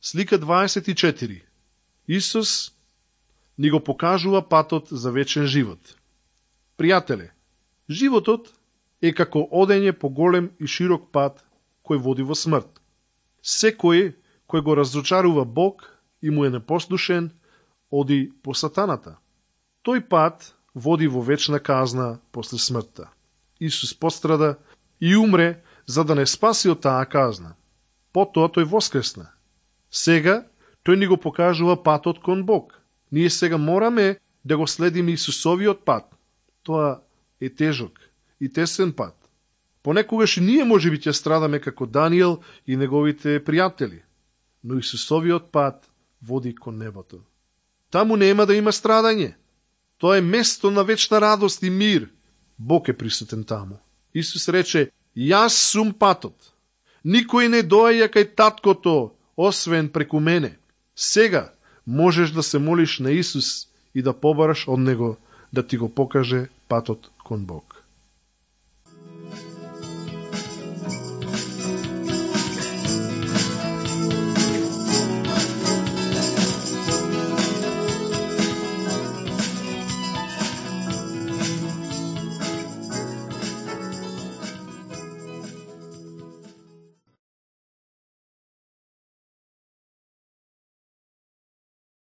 Слика 24. Исус ни го покажува патот за вечен живот. Пријателе, животот е како одење по голем и широк пат кој води во смрт. Секој кој го разочарува Бог и му е непослушен, оди по сатаната. Тој пат води во вечна казна после смртта. Исус пострада и умре за да не спаси од таа казна. Потоа тој воскресна. Сега тој ни го покажува патот кон Бог. Ние сега мораме да го следиме Исусовиот пат. Тоа е тежок и тесен пат. Понекогаш ние можеби ќе страдаме како Даниел и неговите пријатели, но Исусовиот пат води кон небото. Таму нема да има страдање. Тоа е место на вечна радост и мир. Бог е присутен таму. Исус рече: јас сум патот. Никој не доаѓа кај таткото, освен преку мене. Сега можеш да се молиш на Исус и да побараш од Него да ти го покаже патот кон Бог.